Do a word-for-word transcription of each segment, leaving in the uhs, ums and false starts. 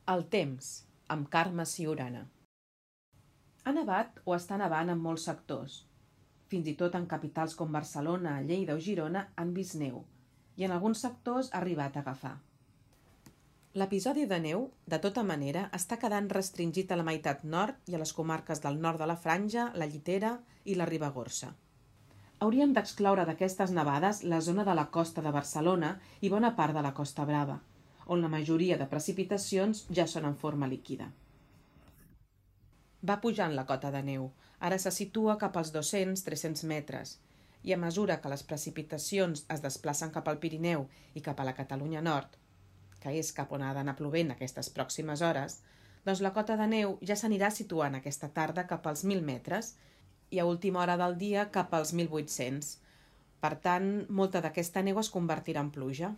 El temps, amb Carme Siurana. Ha nevat o està nevant en molts sectors. Fins i tot en capitals com Barcelona, Lleida o Girona han vist neu, i en alguns sectors ha arribat a agafar. L'episodi de neu, de tota manera, està quedant restringit a la meitat nord i a les comarques del nord de la Franja, la Llitera i la Ribagorça. Hauríem d'excloure d'aquestes nevades la zona de la costa de Barcelona i bona part de la Costa Brava, on la majoria de precipitacions ja són en forma líquida. Va pujant la cota de neu, ara se situa cap als dos-cents a tres-cents metres, i a mesura que les precipitacions es desplacen cap al Pirineu i cap a la Catalunya Nord, que és cap on ha d'anar plovent aquestes pròximes hores, doncs la cota de neu ja s'anirà situant aquesta tarda cap als mil metres i a última hora del dia cap als mil vuit-cents. Per tant, molta d'aquesta neu es convertirà en pluja.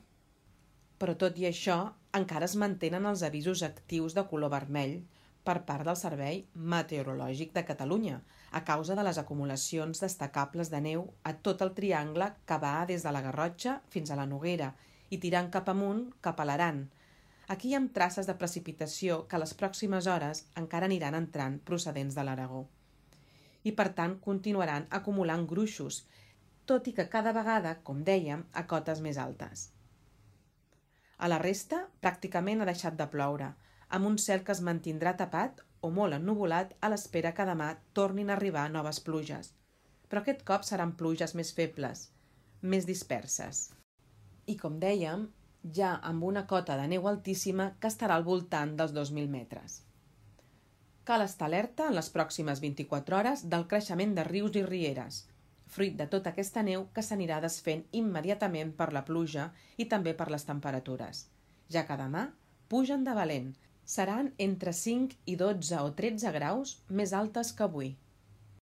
Però tot i això, encara es mantenen els avisos actius de color vermell per part del Servei Meteorològic de Catalunya, a causa de les acumulacions destacables de neu a tot el triangle que va des de la Garrotxa fins a la Noguera i tirant cap amunt cap a l'Aran. Aquí hi ha traces de precipitació que a les pròximes hores encara aniran entrant procedents de l'Aragó. I per tant continuaran acumulant gruixos, tot i que cada vegada, com dèiem, a cotes més altes. A la resta, pràcticament ha deixat de ploure, amb un cel que es mantindrà tapat o molt ennuvolat a l'espera que demà tornin a arribar noves pluges. Però aquest cop seran pluges més febles, més disperses. I com dèiem, ja amb una cota de neu altíssima que estarà al voltant dels dos mil metres. Cal estar alerta en les pròximes vint-i-quatre hores del creixement de rius i rieres, fruit de tota aquesta neu que s'anirà desfent immediatament per la pluja i també per les temperatures, ja que demà pugen de valent, seran entre cinc i dotze o tretze graus més altes que avui.